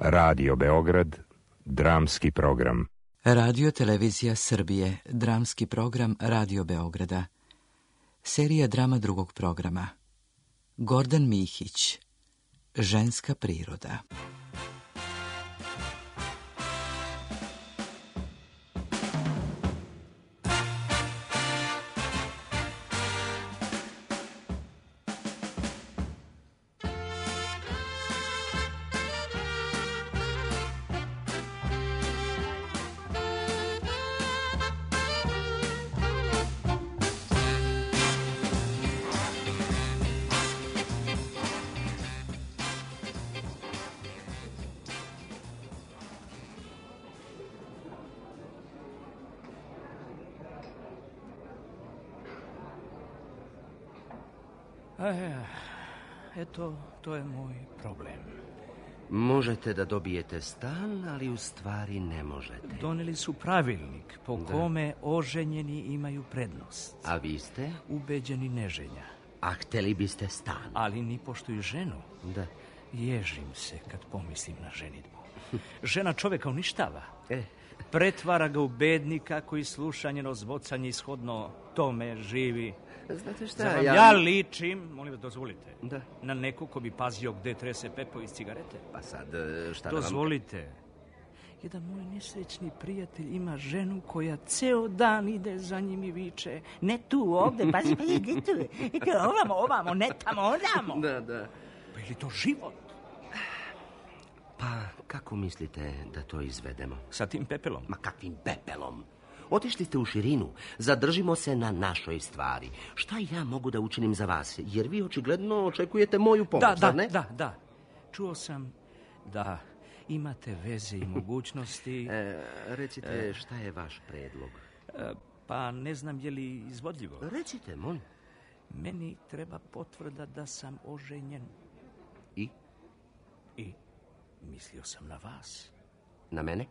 Radio Beograd, dramski program. Radio Televizija Srbije, dramski program Radio Beograda. Serija drama drugog programa. Gordan Mihić, Ženska priroda. Eto, to je moj problem. Možete da dobijete stan, ali u stvari ne možete. Doneli su pravilnik po kome oženjeni imaju prednost. A vi ste? Ubeđeni neženja. A hteli biste stan? Ali ni pošto i ženu. Da. Ježim se kad pomislim na ženidbu. Žena čoveka uništava. Pretvara ga u bednika koji sluša njeno zvocanje ishodno tome živi. Znate šta, ja ličim, molim vas, dozvolite, da. Na neko ko bi pazio gde trese pepo iz cigarete. Pa sad, šta dozvolite. Jedan moj nesrećni prijatelj ima ženu koja ceo dan ide za njim i viče: ne tu, ovde, pa ide tu. Ovamo, ne tamo, onamo. Da. Pa je li to život? Pa, kako mislite da to izvedemo? Sa tim pepelom? Ma kakvim pepelom? Otišli ste u širinu, zadržimo se na našoj stvari. Šta ja mogu da učinim za vas? Jer vi očigledno očekujete moju pomoć, zar ne? Da. Čuo sam da imate veze i mogućnosti. Recite, šta je vaš predlog? Pa ne znam je li izvodljivo. Recite, molim. Meni treba potvrda da sam oženjen. I? I mislio sam na vas. Na mene?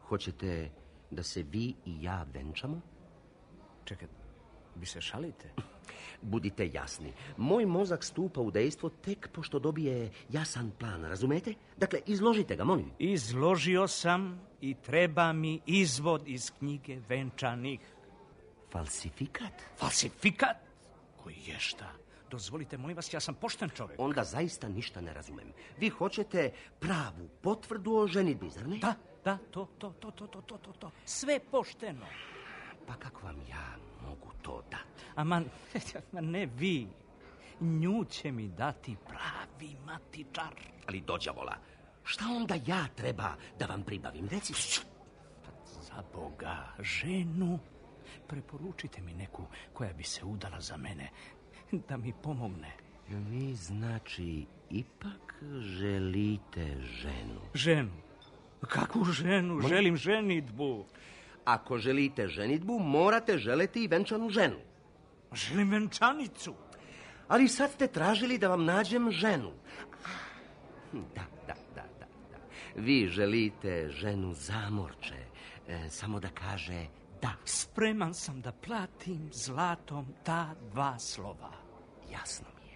Hoćete da se vi i ja venčamo? Čekaj, vi se šalite? Budite jasni. Moj mozak stupa u dejstvo tek pošto dobije jasan plan, razumete? Dakle, izložite ga, molim. Izložio sam i treba mi izvod iz knjige venčanih. Falsifikat? Falsifikat? Koji je šta? Dozvolite, molim vas, ja sam pošten čovjek. Onda zaista ništa ne razumem. Vi hoćete pravu potvrdu o ženidbi, zar ne? Da, to. Sve pošteno. Pa kako vam ja mogu to dati? Ma ne vi. Nju će mi dati pravi matičar. Ali dođavola, šta onda ja treba da vam pribavim? Recite. Za Boga, ženu. Preporučite mi neku koja bi se udala za mene, da mi pomogne. Vi znači ipak želite ženu? Ženu? Kakvu ženu? Želim ženidbu. Ako želite ženidbu, morate želeti i venčanu ženu. Želim venčanicu. Ali sad ste tražili da vam nađem ženu. Da. Vi želite ženu zamorče, samo da kaže da. Spreman sam da platim zlatom ta 2 slova. Jasno mi je.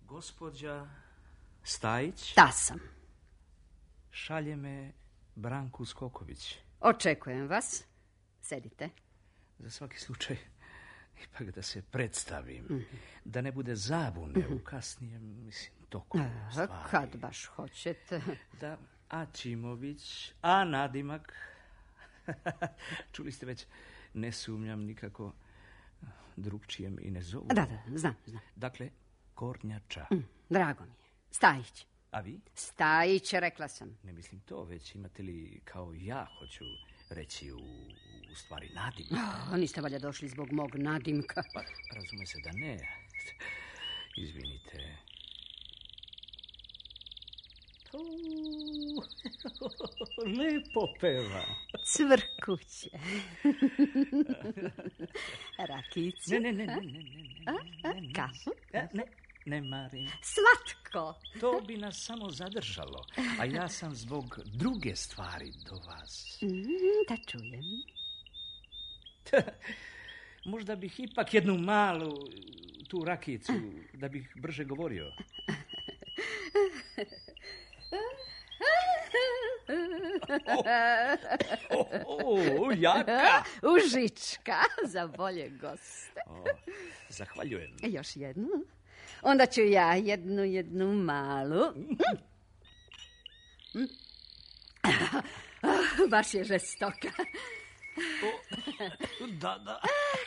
Gospođa Stajić? Da sam. Šalje me Branku Skoković. Očekujem vas. Sedite. Za svaki slučaj, ipak da se predstavim. Da ne bude zabune u kasnijem, toku stvari. Kad baš hoćete. Da, Ačimović, a nadimak. Čuli ste već, ne sumnjam nikako, drugčije me i ne zovu. Da, znam. Dakle, Kornjača. Drago mi je. Stajić. A vi? Stajić, rekla sam. Ne mislim to, već imate li kao ja hoću reći u stvari nadim. Niste valjda došli zbog mog nadimka. Pa, razume se da ne. Izvinite. Lepo peva. Cvrkuće. Rakicu. Ne. Kafu? Ne marim. Slatko. To bi nas samo zadržalo. A ja sam zbog druge stvari do vas. Da čujem. Možda bih ipak jednu malu tu rakicu, da bih brže govorio. Jaka! Užička za bolje goste. Zahvaljujem. Još jednu. Onda ću ja jednu malu. Baš je žestoka. Da.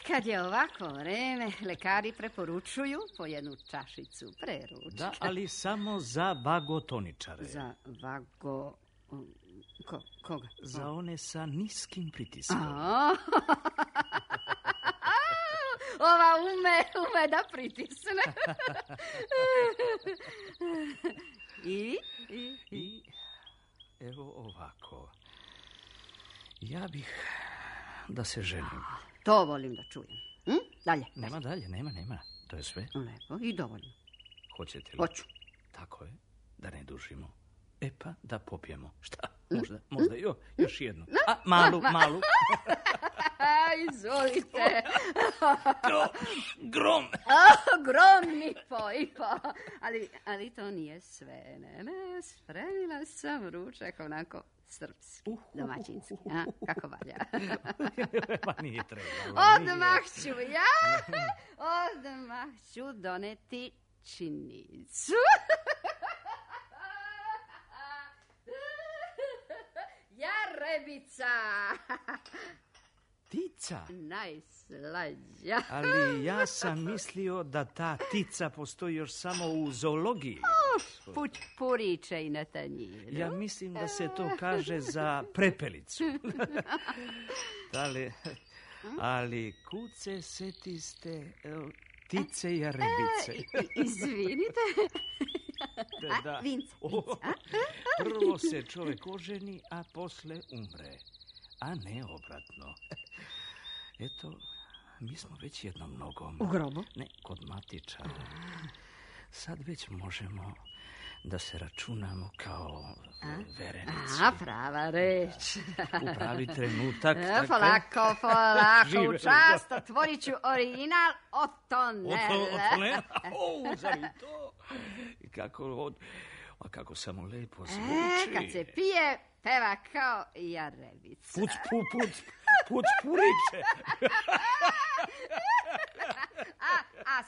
Kad je ovako vreme, lekari preporučuju po jednu čašicu preručka. Da, ali samo za vagotoničare. Za vago... Koga? Za one sa niskim pritiskom. Ova ume da pritisne. I evo ovako. Ja bih da se ženim. To volim da čujem. Dalje. Nema dalje, nema. To je sve. Lepo i dovoljno. Hoćete li? Hoću. Tako je, da ne dužimo. E pa, da popijemo. Šta? Možda još jednu. Malu. Izvolite. Grom. Grom mi po. Ali to nije sve. Ne, spremila sam ručak onako srpski, domaćinski. Kako valja? Pa nije trebalo. Odmah ću doneti činicu. Jarebica. Tica? Najslađa. Ali ja sam mislio da ta tica postoji još samo u zoologiji. Puriče i na tanjiru. Ja mislim da se to kaže za prepelicu. Ali kuce setiste tice i jarebice. Izvinite. Da. Vince. Prvo se čovjek oženi, a posle umre. A ne obratno. Eto, mi smo već jednom nogom. U grobu? Ne, kod matičara. Sad već možemo da se računamo kao verenici. Prava reč. U pravi trenutak. Polako, u čast, otvorit ću original Otonele. Zar i to? Kako samo lepo zvuči. Kad se pije, peva kao jarebica. Puc puriče. A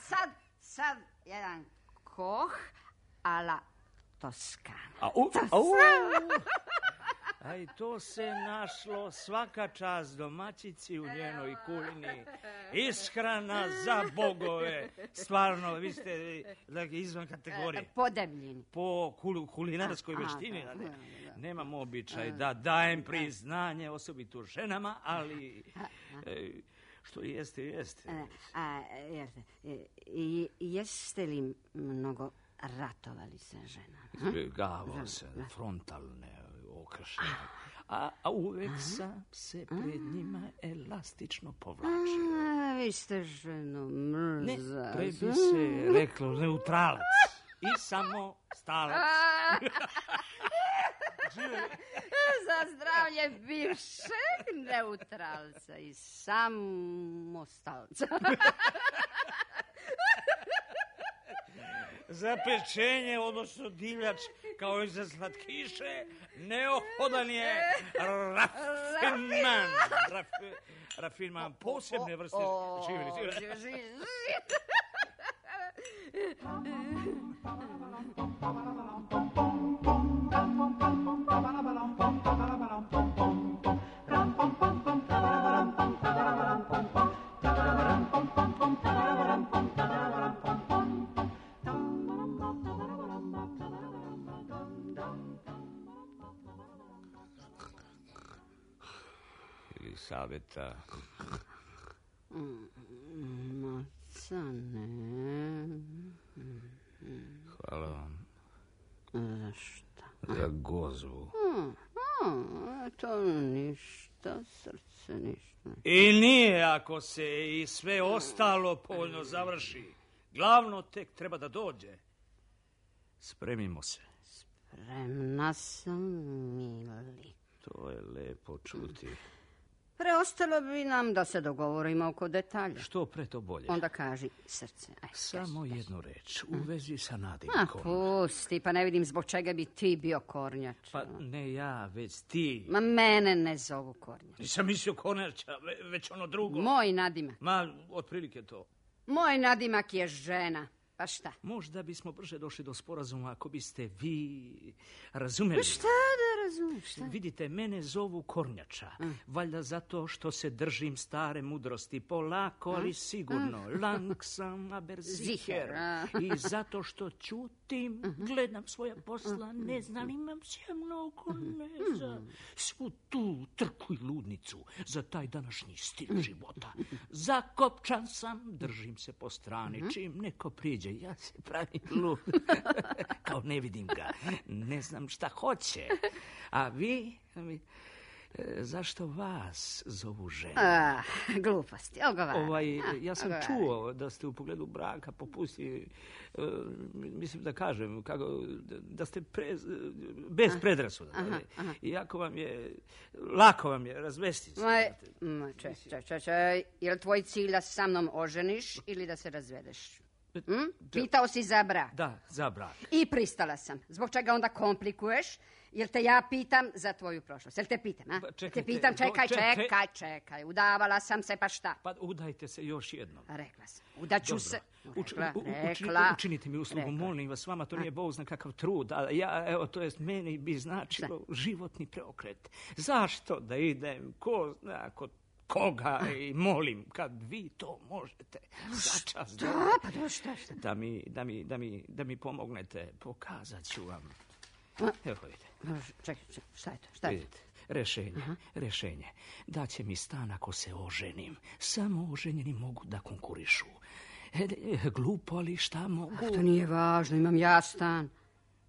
sad jedan koh a la Toskana. Aj, to se našlo, svaka čast domaćici u njenoj kuhini. Ishrana za bogove. Stvarno, vi ste izvan kategorije. Podemljeni. Po kulinarskoj veštini. Nemam običaj da dajem priznanje osobito ženama, ali što jeste. Jeste li mnogo ratovali sa ženama? Izbjegavao se frontalne okršenje. A uvek sam se pred njima elastično povlačio. Vi ste ženu mrza. Ne, pre bi se reklo neutralac. I samo stalac. Za zdravlje bivšeg neutralca i samostalca. Za pečenje, odnosno divljač, kao i za slatkiše, neophodan je rafinman posebne vrste živjeli. savjeta. Maca ne. Hvala vam. Za šta? Za gozvu. To ništa, srce, ništa. I nije ako se i sve ostalo povoljno završi. Glavno tek treba da dođe. Spremimo se. Spremna sam, mili. To je lepo čuti. Preostalo bi nam da se dogovorimo oko detalja. Što pre to bolje. Onda kaži, srce. Samo jednu reč u vezi sa Ma Nadimkom. pusti, pa ne vidim zbog čega bi ti bio kornjač. Pa ne ja, već ti. Ma mene ne zovu kornjač. Nisam mislio kornjača, već ono drugo. Moj nadimak. Ma, otprilike to. Moj nadimak je žena. Pa šta? Možda bismo brže došli do sporazuma ako biste vi razumeli. Pa šta da razumiješ? Šta? Vidite, mene zovu kornjača. Valjda zato što se držim stare mudrosti. Polako, ali sigurno. Langsam, aber sicher. I zato što ćutim, gledam svoja posla, ne znam, imam se mnogo ne znam. Svu tu trku i ludnicu za taj današnji stil života. Zakopčan sam, držim se po strani. Čim neko priđe, ja se pravim lud. Kao ne vidim ga. Ne znam šta hoće. A vi, zašto vas zovu žena? Gluposti, ogovara. Ja sam čuo da ste u pogledu braka popustili, mislim da kažem, da ste bez predrasuda. Iako vam je, lako vam je razvesti se. Čekaj, je li tvoj cilj da se sa mnom oženiš ili da se razvedeš? Pitao si za brak. Da, za brak. I pristala sam. Zbog čega onda komplikuješ? Jel te ja pitam za tvoju prošlost? Jel te pitam, a? Čekajte, te pitam, čekaj. Udavala sam se, pa šta? Pa udajte se još jednom. Rekla sam. Udaću se. Učinite mi uslugu, molim vas, vama to nije Bog zna kakav trud, a ja, evo, to jest meni bi značilo životni preokret. Zašto da idem, ko zna, kod koga i molim, kad vi to možete začas da mi pomognete, pokazat ću vam. Evo vidite. Čekaj, šta je to? Rešenje. Daće mi stan ako se oženim. Samo oženjeni mogu da konkurišu. Glupo, ali šta mogu? To nije važno, imam ja stan.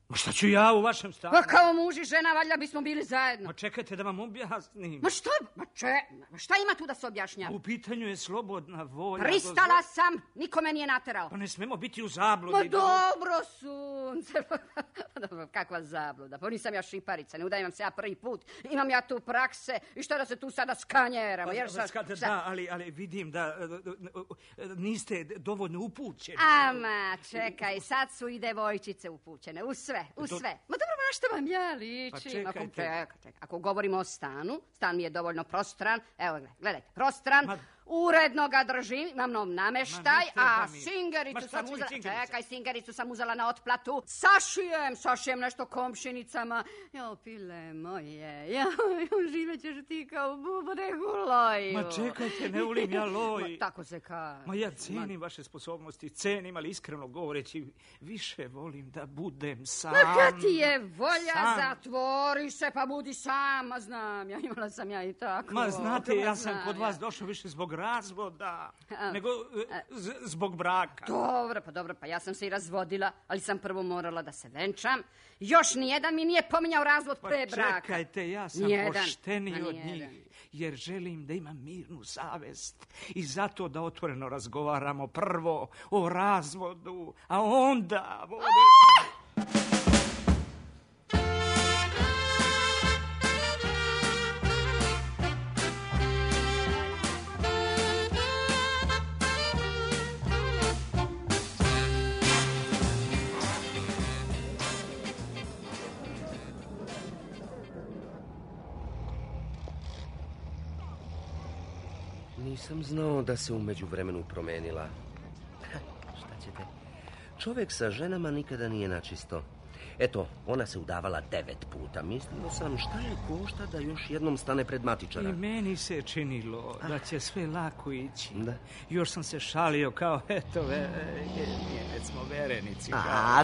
Ma šta ću ja u vašem stanu? Pa kao muž i žena, valjda bismo bili zajedno. Ma čekajte da vam objasnim. Ma šta ima tu da se objašnjava? U pitanju je slobodna volja. Pristala sam, niko me nije naterao. Pa ne smemo biti u zabludi. Ma dobro, sunce. Dobro, kakva zabluda. Pa nisam ja šiparica, ne udajem se ja prvi put. Imam ja tu prakse i šta da se tu sada skanjeramo. Da, ali vidim da niste dovoljno upućeni. Ama, čekaj, sad su i devojčice upućene, u sve. Ma dobro, na što vam ja ličim? Pa čekajte. Ako govorimo o stanu, stan mi je dovoljno prostran. Evo, gledajte, prostran. Uredno ga držim, imam nov nameštaj, a singericu sam uzela... Čekaj, singericu sam uzela na otplatu. Sašijem nešto komšinicama. Jo, pile moje, živet ćeš ti kao bubregu loju. Ma čekajte, ne volim ja loj. Tako se kaže. Ma ja cenim vaše sposobnosti, cenim, ali iskreno govoreći, više volim da budem sam. Ma kad ti je volja, zatvori se pa budi sam. Ma znam, imala sam ja i tako. Ma znate, ja sam kod vas došao više zbog razvoda, nego zbog braka. Dobro, pa ja sam se i razvodila, ali sam prvo morala da se venčam. Još nijedan mi nije pominjao razvod pre braka. Čekajte, ja sam pošteniji od njih, jer želim da imam mirnu savest i zato da otvoreno razgovaramo prvo o razvodu, a onda... Nisam znao da se u međuvremenu promenila. Šta ćete? Čovjek sa ženama nikada nije načisto. Eto, ona se udavala 9 puta. Mislio sam šta je košta da još jednom stane pred matičara. I meni se činilo da će sve lako ići. Da. Još sam se šalio kao, eto, već smo verenici. A,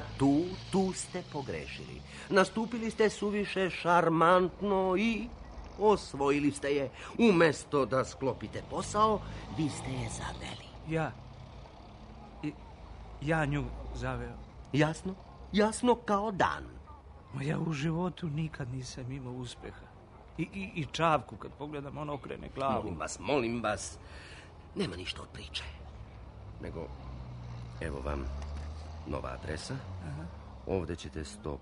tu ste pogrešili. Nastupili ste suviše šarmantno i osvojili ste je. Umjesto da sklopite posao, vi ste je zaveli. Ja nju zaveo. Jasno? Jasno kao dan. Ma ja u životu nikad nisam imao uspjeha. I Čavku, kad pogledam, on okrene glavu. Molim vas. Nema ništa od priče. Nego, evo vam nova adresa. Aha. Ovdje ćete 100%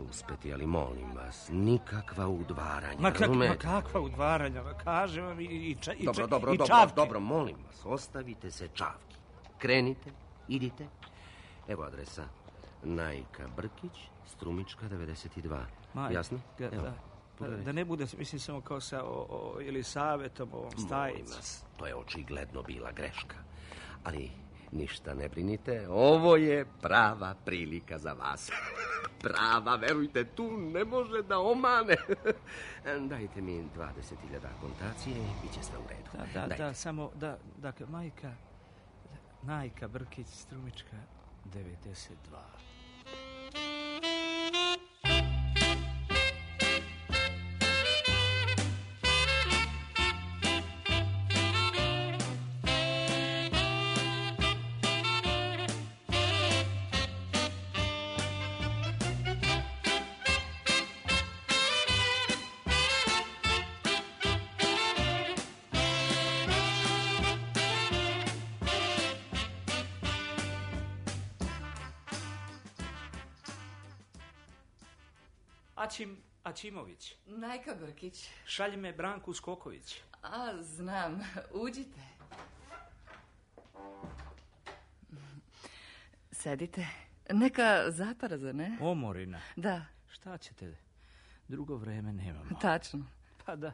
uspjeti, ali molim vas, nikakva udvaranja. Ma kakva udvaranja? Kažem vam i Dobro, molim vas, ostavite se Čavki. Krenite, idite. Evo adresa. Najka Brkić, Strumička 92. Jasno? Da. Da ne bude, mislim, samo kao sa Elisavetom, ovom Stajicu. Molim vas, to je očigledno bila greška. Ali ništa ne brinite, ovo je prava prilika za vas. Prava, verujte, tu ne može da omane. Dajte mi 20.000 kontacije i bit će sve u redu. Da, samo, dakle, Najka Brkić, Strumička 92. Ačimović. Najka Brkić. Šalji me Branku Skoković. Znam. Uđite. Sedite. Neka zapara, zar ne? Omorina. Da. Šta ćete? Drugo vreme nemamo. Tačno. Pa da.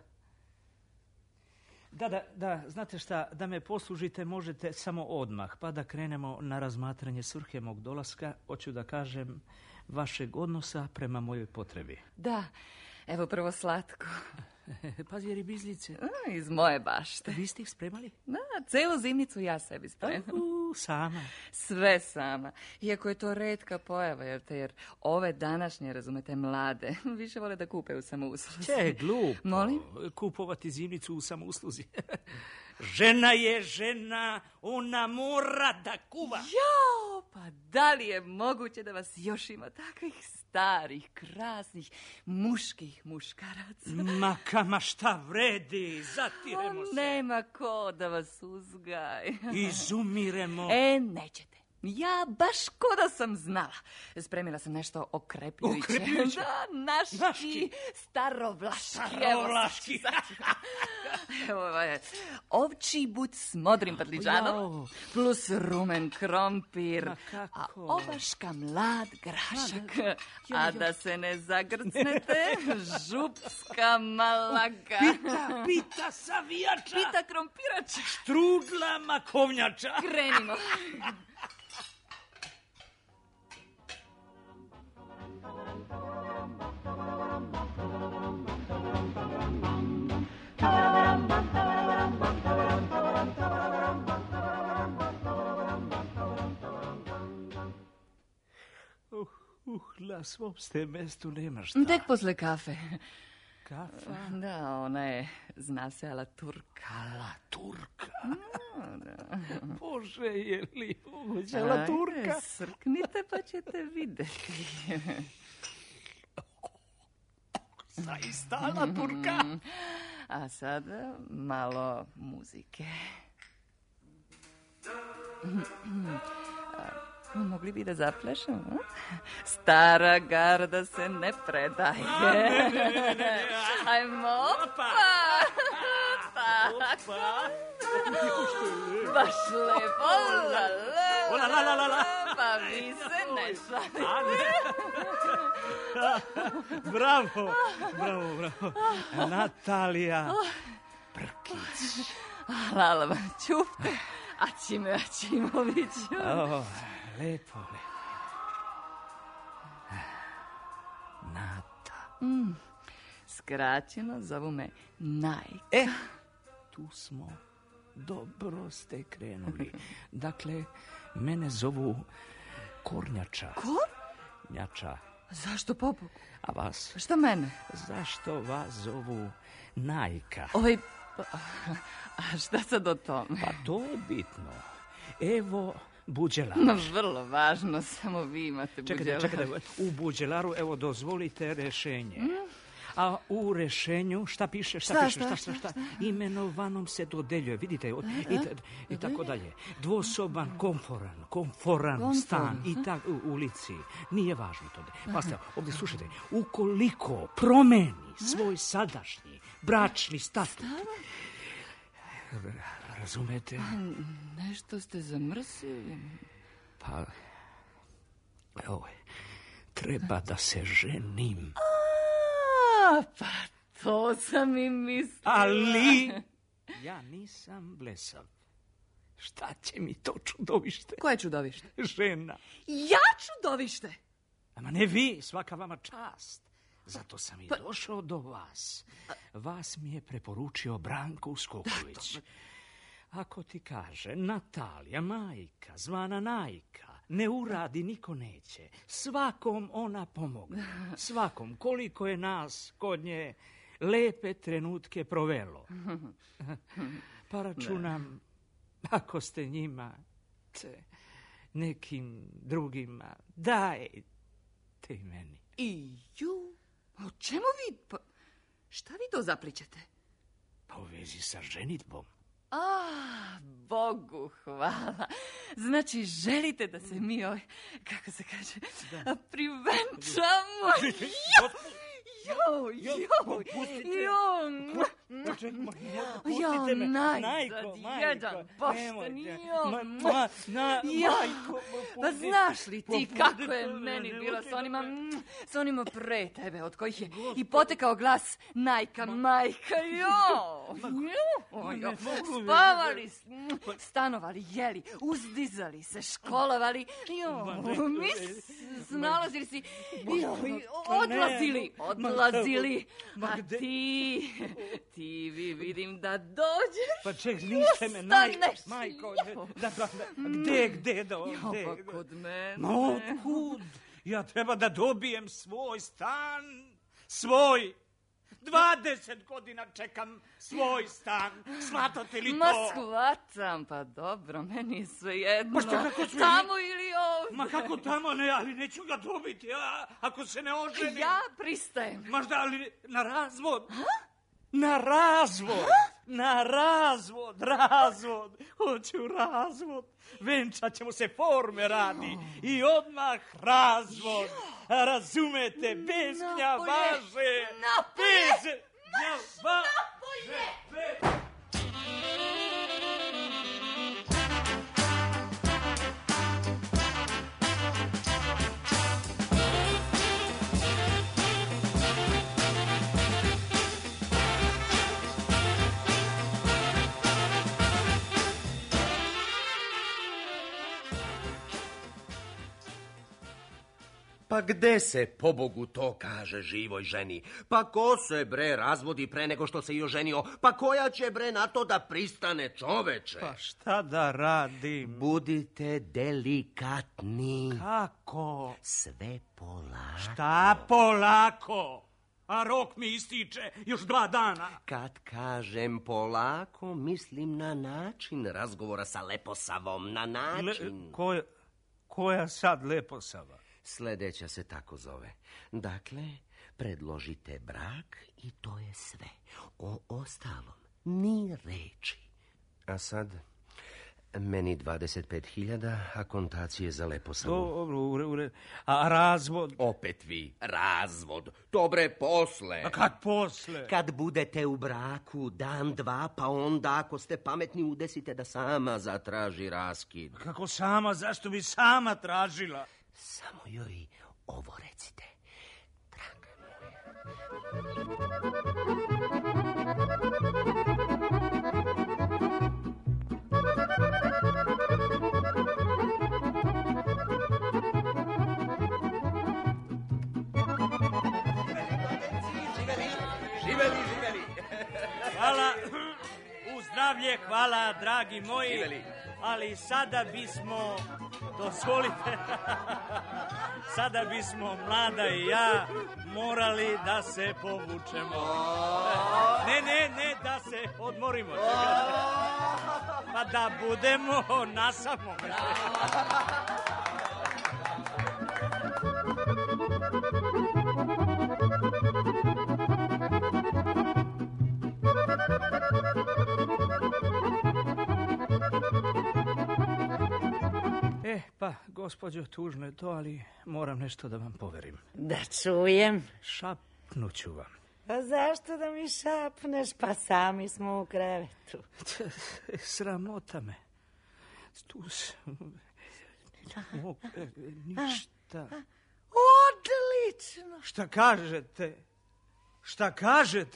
Da, znate šta, da me poslužite možete samo odmah, pa da krenemo na razmatranje svrhe mog dolaska, hoću da kažem, vašeg odnosa prema mojoj potrebi. Da, evo prvo slatko. Pazi, ribizlice. Iz moje bašte. Vi ste ih spremali? Da, celu zimnicu ja sebi spremam. Sama? Sve sama. Iako je to retka pojava, jer ove današnje, razumete, mlade, više vole da kupe u samousluzi. Glupo. Molim? Kupovati zimnicu u samousluzi. Žena je žena, ona mora da kuva. Jo, pa da li je moguće da vas još ima takvih starih, krasnih, muških muškaraca? Ma šta vredi, zatiremo se. Nema ko da vas uzgaj. Izumiremo. Nećete. Ja baš ko da sam znala. Spremila sam nešto okrepljujuće. Da, naški. Starovlaški. Evo, ovčji but s modrim patliđanom, plus rumen krompir, a obaška mlad grašak. A da se ne zagrcnete, župska malaga. Pita savijača. Pita krompirača. Štrudla makovnjača. Krenimo. Na svom ste mestu nema šta. Tek posle kafe. Kafa? Da, ona je, zna se, ala Turka. Ala Turka? Da. Bože, je li moguće ala Turka? Srknite pa ćete vidjeti. Zaista ala Turka? A sada malo muzike. Mogli bi da zaplešamo? Stara garda se ne predaje. Ne. Ajmo, opa! Baš lepo, la. Pa vi se ne šalite. Bravo. Natalija Brkić. Hvala vam, čupte. Ačimoviću. Lepo. Nata. Skraćeno zovu me Najka. Tu smo. Dobro ste krenuli. Dakle, mene zovu Kornjača. Kornjača? Zašto pobogu? A vas? Šta mene? Zašto vas zovu Najka? A šta sad o tome? Pa to je bitno. Evo buđelar. Vrlo važno, samo vi imate buđelar. Čekajte, u buđelaru, evo, dozvolite rešenje. A u rešenju, šta piše? Šta? Imenovanom se dodeljuje, vidite, i tako dalje. Dvosoban, komforan stan i tako u ulici. Nije važno to. Pa ste, ovdje slušajte, ukoliko promeni svoj sadašnji bračni statut, razumete? Nešto ste zamrsili. Pa, evo, treba da se ženim. Pa to sam i mislila. Ali ja nisam blesav. Šta će mi to čudovište? Koje čudovište? Žena. Ja čudovište? Ama ne vi, svaka vama čast. Zato sam i došao do vas. Vas mi je preporučio Branko Uskoković. Ako ti kaže Natalija, majka, zvana Najka, ne uradi, niko neće. Svakom ona pomogne. Svakom, koliko je nas kod nje lepe trenutke provelo. Pa računam, ako ste njima, nekim drugima, dajte i meni. O čemu vi? Šta vi to zaplićete? Pa u vezi sa ženitbom. Bogu hvala. Znači, želite da se mi, kako se kaže, privenčamo? Najzad jedan, pošteni, pa znaš li ti kako je meni bilo s onima pre tebe, od kojih je i potekao glas Najka, majka, spavali, stanovali, jeli, uzdizali se, školovali, snalazili si, odlazili, a ti vi vidim da dođeš. Pa ček, niste me, majko, gde da ovdje? Pa kod mene. Ma otkud? Ja treba da dobijem svoj stan, svoj. 20 godina čekam svoj stan. Shvatate li to? Ma shvatam, pa dobro, meni je sve jedno. Pa kako sve... Tamo ili ovdje? Ma kako tamo, ne, ali neću ga dobiti, ako se ne oženim. Ja pristajem. Možda, ali na razvod. Na razvod. Na razvod. Hoću razvod. Venčat ćemo se, forme radi. I odmah razvod. Razumete, bez gnjavaže. Bez gnjavaže. Pa gde se, pobogu, to kaže živoj ženi? Pa ko se, bre, razvodi pre nego što se i oženio? Pa koja će, bre, na to da pristane, čoveče? Pa šta da radim? Budite delikatni. Kako? Sve polako. Šta polako? A rok mi ističe još 2 dana. Kad kažem polako, mislim na način razgovora sa Leposavom. Na način. Koja sad Leposava? Sledeća se tako zove. Dakle, predložite brak i to je sve. O ostalom ni reči. A sad, meni 25.000, a kontacije za Leposavu. Dobro, a razvod? Opet vi, razvod. Dobre, posle. A kad posle? Kad budete u braku, dan, 2, pa onda, ako ste pametni, udesite da sama zatraži raskid. Kako sama? Zašto bi sama tražila? Samo joj ovo recite. Draga Živeli. Hvala. U zdravlje, hvala, dragi moji. Živeli. ali sada bismo, dozvolite, sada bismo Mlada i ja morali da se povučemo. Ne, da se odmorimo. Pa da budemo nasamo. Pa, gospođo, tužno je to, ali moram nešto da vam poverim. Da čujem. Šapnuću vam. A zašto da mi šapneš? Pa sami smo u krevetu. Sramota me. Tu ništa. Odlično. Šta kažete? Kažem,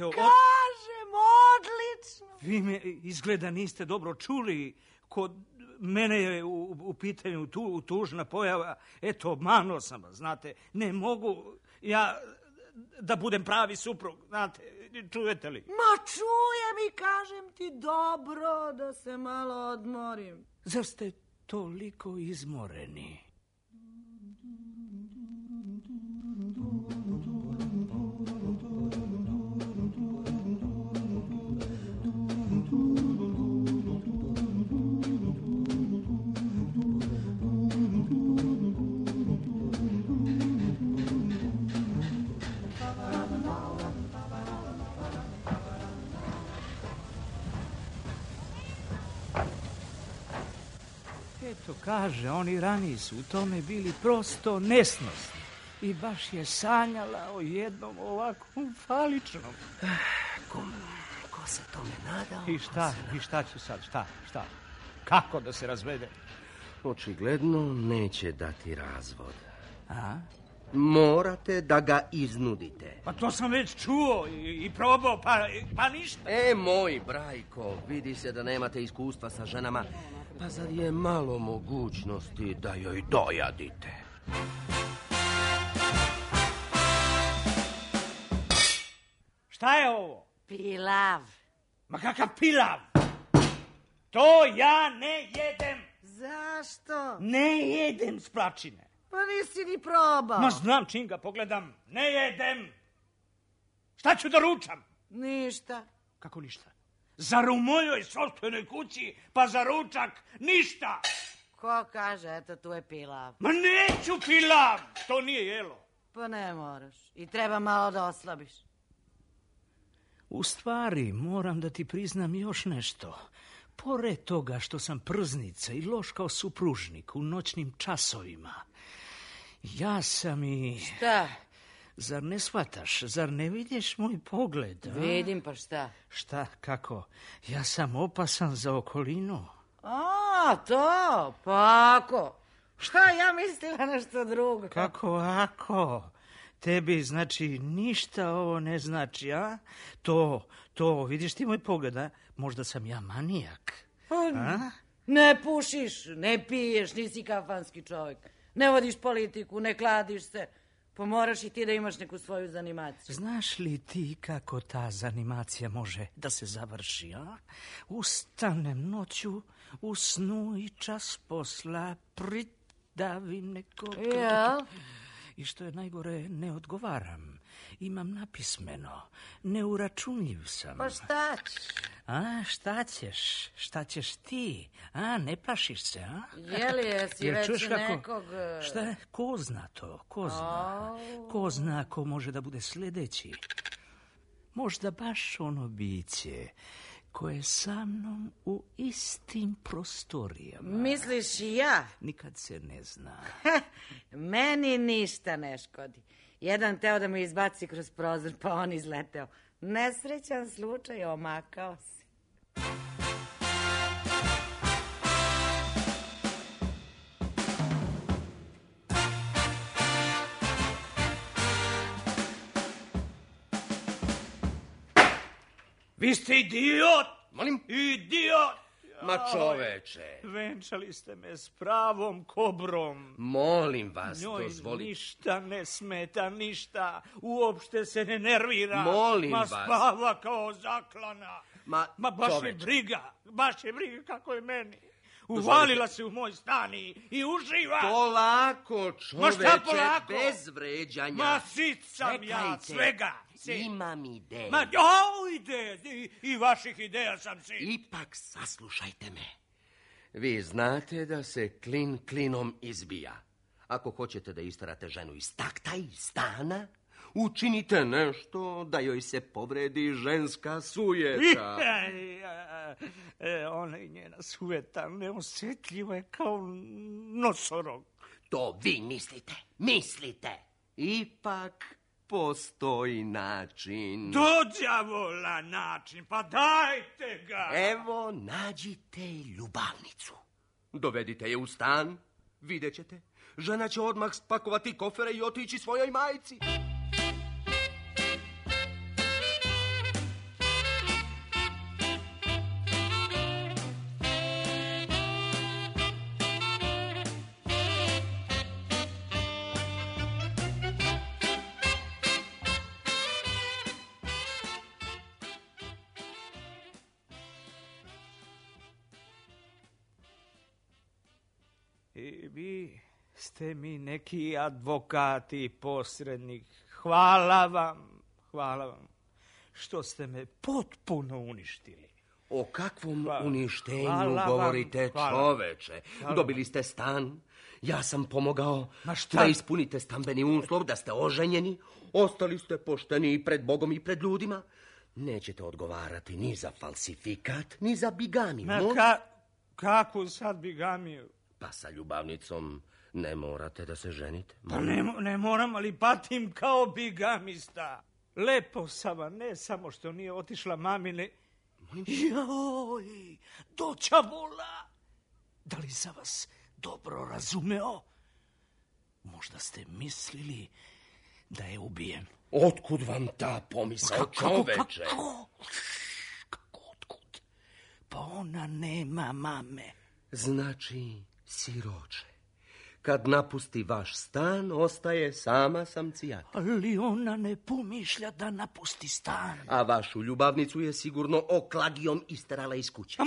odlično. Vi me izgleda niste dobro čuli. Kod mene je u pitanju tužna pojava. Eto, obmanuo sam vas, znate. Ne mogu ja da budem pravi suprug, znate. Čujete li? Ma čujem i kažem ti dobro da se malo odmorim. Zar ste toliko izmoreni? Eto, kaže, oni raniji su u tome bili prosto nesnosni. I baš je sanjala o jednom ovakvom faličnom. Ko se tome nadao? I šta ću sad, šta? Kako da se razvede? Očigledno neće dati razvod. A? Morate da ga iznudite. Pa to sam već čuo i probao, pa ništa. Moj brajko, vidi se da nemate iskustva sa ženama. Pa zar je malo mogućnosti da joj dojadite? Šta je ovo? Pilav. Ma kakav pilav? To ja ne jedem. Zašto? Ne jedem splačine. Pa nisi ni probao. Ma znam čim ga pogledam. Ne jedem. Šta ću da ručam? Ništa. Kako ništa? Zar u mojoj sopstvenoj kući, pa za ručak ništa? Ko kaže, eto tu je pilav. Ma neću pilav, to nije jelo. Pa ne moraš. I treba malo da oslabiš. U stvari, moram da ti priznam još nešto. Pored toga što sam prznica i loš kao supružnik u noćnim časovima, ja sam i... Šta? Zar ne shvataš? Zar ne vidiš moj pogled? A? Vidim, pa šta? Šta, kako? Ja sam opasan za okolinu. A, to? Pa ako? Šta, ja mislila nešto drugo. Kako ako? Tebi, znači, ništa ovo ne znači, a? To, vidiš ti moj pogled, a? Možda sam ja manijak. A? Ne pušiš, ne piješ, nisi kafanski čovjek. Ne vodiš politiku, ne kladiš se. Pa moraš i ti da imaš neku svoju zanimaciju. Znaš li ti kako ta zanimacija može da se završi, a? Ustanem noću, u snu i čas posla pridavim nekog... Ja? I što je najgore, ne odgovaram. Imam napismeno. Neuračunljiv sam. Pa šta ćeš? A, šta ćeš ti? A, ne plašiš se, a? Jesi već nekog... Šta? Ko zna to? Ko zna ko može da bude sljedeći? Možda baš ono biće koje je sa mnom u istim prostorijama. Misliš i ja? Nikad se ne zna. Meni ništa ne škodi. Jedan teo da me izbaci kroz prozor, pa on izleteo. Nesrećan slučaj, omakao se. Vi ste idiot! Molim? Idiot! Ma čoveče. Venčali ste me s pravom kobrom. Molim vas, Njoj dozvolite. ništa ne smeta, ništa. Uopšte se ne nervira. Molim Ma vas. spava kao zaklana. Ma baš čoveče. je briga. Baš je briga kako je meni. Uvalila se u moj stan i uživa. Polako, čoveče, šta polako? bez vređanja. Ma sit sam ja svega. Imam ideju. Ma ideje, i vaših ideja sam sit. Ipak saslušajte me. Vi znate da se klin klinom izbija. Ako hoćete da isterate ženu iz takta i stana, učinite nešto da joj se povredi ženska sujeta. Ona i njena sujeta neosjetljiva je kao nosorog. To vi mislite. Ipak postoji način. Do đavola način, pa dajte ga. Evo, nađite ljubavnicu. Dovedite je u stan, vidjet ćete. Žena će odmah spakovati kofere i otići svojoj majci. I vi ste mi neki advokat i posrednik. Hvala vam, što ste me potpuno uništili. O kakvom uništenju govorite, čoveče? Dobili ste stan, ja sam pomogao da ispunite stambeni uslov, da ste oženjeni, ostali ste pošteni pred Bogom i pred ljudima. Nećete odgovarati ni za falsifikat, ni za bigamiju. Kakvu sad bigamiju? Pa sa ljubavnicom ne morate da se ženite. Pa ne moram, ali patim kao bigamista. Lepo sam, ne samo što nije otišla mamine. Joj, doća vola. Da li sam vas dobro razumeo? Možda ste mislili da je ubijem. Otkud vam ta pomisao, čoveče? Kako otkud? Pa ona nema mame. Znači, siroče, kad napusti vaš stan, ostaje sama samcijata. Ali ona ne pomišlja da napusti stan. A vašu ljubavnicu je sigurno oklagijom isterala iz kuće.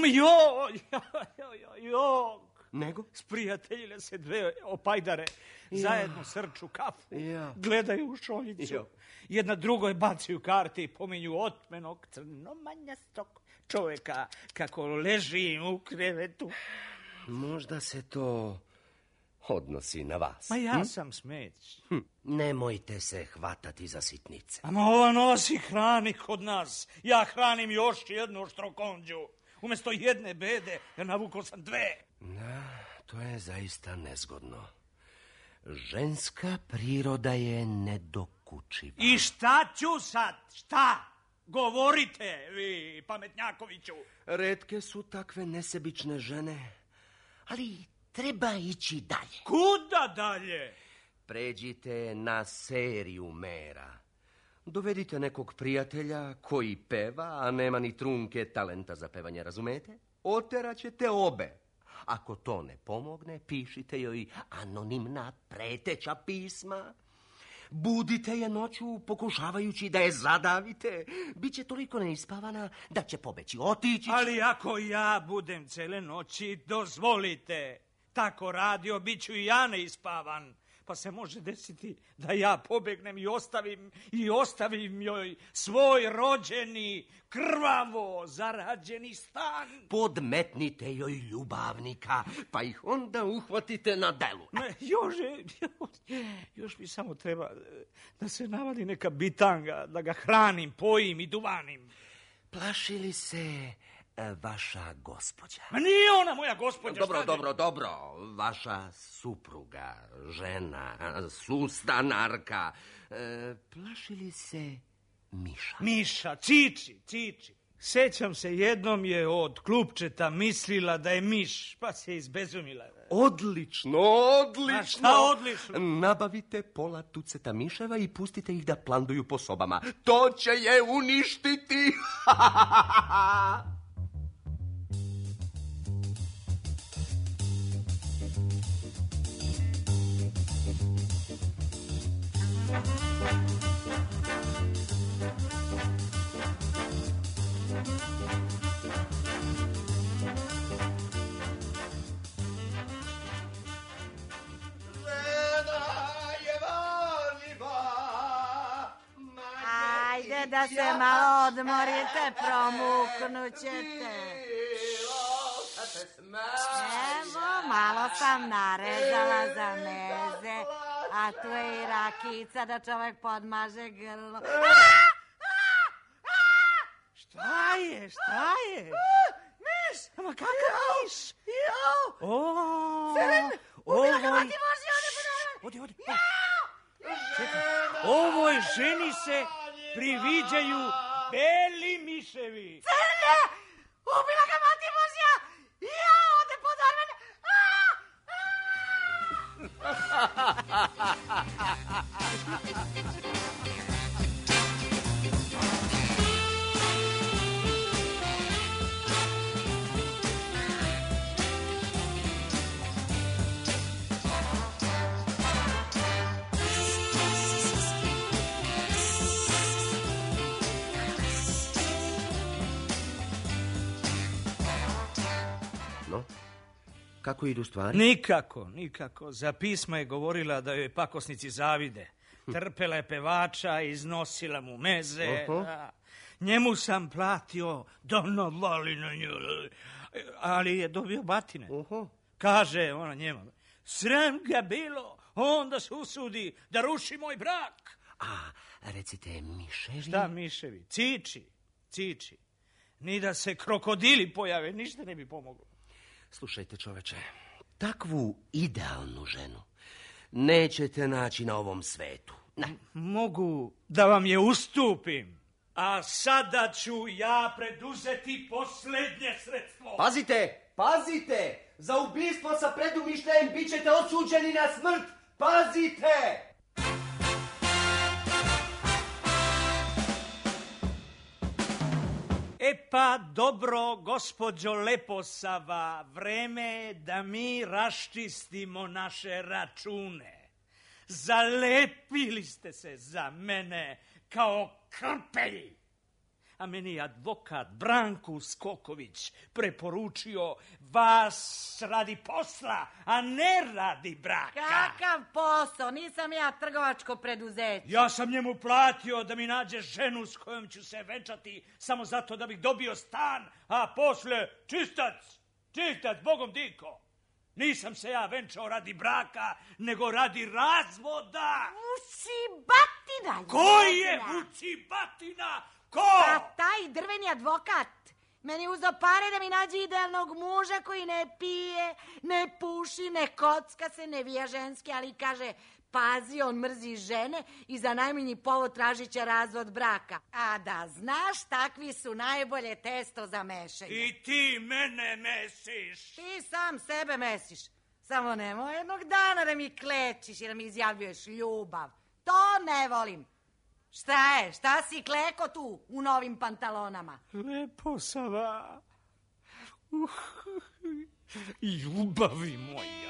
Nego? Sprijateljile se dve opajdare, zajedno srču kafu, gledaju u šoljicu. Jedna drugoj bacaju karte i pominju otmenog crnomanjastog čovjeka kako leži u krevetu. Možda se to odnosi na vas. Ma ja sam smeć. Nemojte se hvatati za sitnice. Ama ova nosi hrani kod nas. Ja hranim još jednu štrokonđu. Umjesto jedne bede, ja navukao sam dve. Da, to je zaista nezgodno. Ženska priroda je nedokučiva. I šta ću sad? Šta? Govorite, vi pametnjakoviću. Retke su takve nesebične žene, ali treba ići dalje. Kuda dalje? Pređite na seriju mera. Dovedite nekog prijatelja koji peva, a nema ni trunke talenta za pevanje, razumete? Oteraćete obe. Ako to ne pomogne, pišite joj anonimna preteća pisma. Budite je noću pokušavajući da je zadavite. Biće toliko neispavana da će pobeći, otići. Ali ako ja budem cele noći, dozvolite. Tako radio, bit ću i ja neispavan. Pa se može desiti da ja pobegnem i ostavim joj svoj rođeni, krvavo zarađeni stan. Podmetnite joj ljubavnika, pa ih onda uhvatite na delu. Još mi samo treba da se navadi neka bitanga, da ga hranim, pojim i duvanim. Plašili se vaša gospođa? Ma nije ona moja gospođa. Dobro. Vaša supruga, žena, sustanarka. Plašili se Miša? Miša, Čiči. Sećam se, jednom je od klupčeta mislila da je miš, pa se izbezumila. Odlično. A šta odlično? Nabavite pola tuceta miševa i pustite ih da planduju po sobama. To će je uništiti. da se malo odmorite, promuknućete. Evo, malo sam narezala za meze, a tu je i rakica da čovjek podmaže grlo. Šta je? Miš! Ma kakav miš? Ubila ga mati Božja, Odi. Čekaj, ovoj ženi se priviđaju beli miševi. Crne! Ubila ga mati Božja! Ode podorvene! No, kako idu stvari? Nikako. Za pisma je govorila da joj pakosnici zavide. Trpela je pevača, iznosila mu meze. Njemu sam platio da navali na nju, ali je dobio batine. Kaže ona njema, sram ga bilo, onda se usudi da ruši moj brak. A, recite, miševi? Šta miševi? Ciči. Ni da se krokodili pojave, ništa ne bi pomoglo. Slušajte, čoveče, takvu idealnu ženu nećete naći na ovom svetu. Mogu da vam je ustupim, a sada ću ja preduzeti posljednje sredstvo. Pazite! Za ubistvo sa predumišljajem bit ćete osuđeni na smrt! Pazite! Pa dobro, gospođo Leposava, vreme je da mi raščistimo naše račune. Zalepili ste se za mene kao krpelji. A meni je advokat Branko Skoković preporučio vas radi posla, a ne radi braka. Kakav posao? Nisam ja trgovačko preduzeće. Ja sam njemu platio da mi nađe ženu s kojom ću se venčati samo zato da bih dobio stan, a posle čistac, Bogom diko. Nisam se ja venčao radi braka, nego radi razvoda. Vucibatina! Ko je Vucibatina? Ko? Pa taj drveni advokat. Meni uzeo pare da mi nađe idealnog muža koji ne pije, ne puši, ne kocka se, ne vija ženski, ali kaže, pazi, on mrzi žene i za najmanji povod tražit će razvod braka. A da znaš, takvi su najbolje testo za mešanje. I ti mene mesiš. Ti sam sebe mesiš. Samo nemoj jednog dana da mi klečiš i da mi izjavljuješ ljubav. To ne volim. Šta si kleko tu u novim pantalonama? Leposava. Ljubavi moja.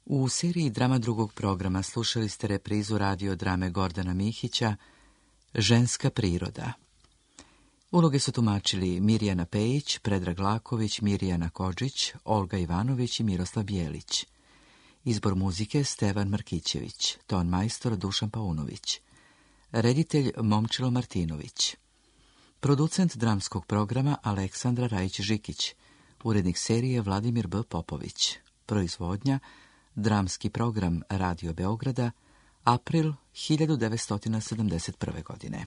U seriji drama drugog programa slušali ste reprizu radiodrame Gordana Mihića Ženska priroda. Uloge su tumačili Mirjana Pejić, Predrag Laković, Mirjana Kodžić, Olga Ivanović i Miroslav Bijelić. Izbor muzike Stevan Markićević, ton majstor Dušan Paunović, reditelj Momčilo Martinović, producent dramskog programa Aleksandra Rajić-Žikić, urednik serije Vladimir B. Popović, proizvodnja Dramski program Radio Beograda, april 1971. godine.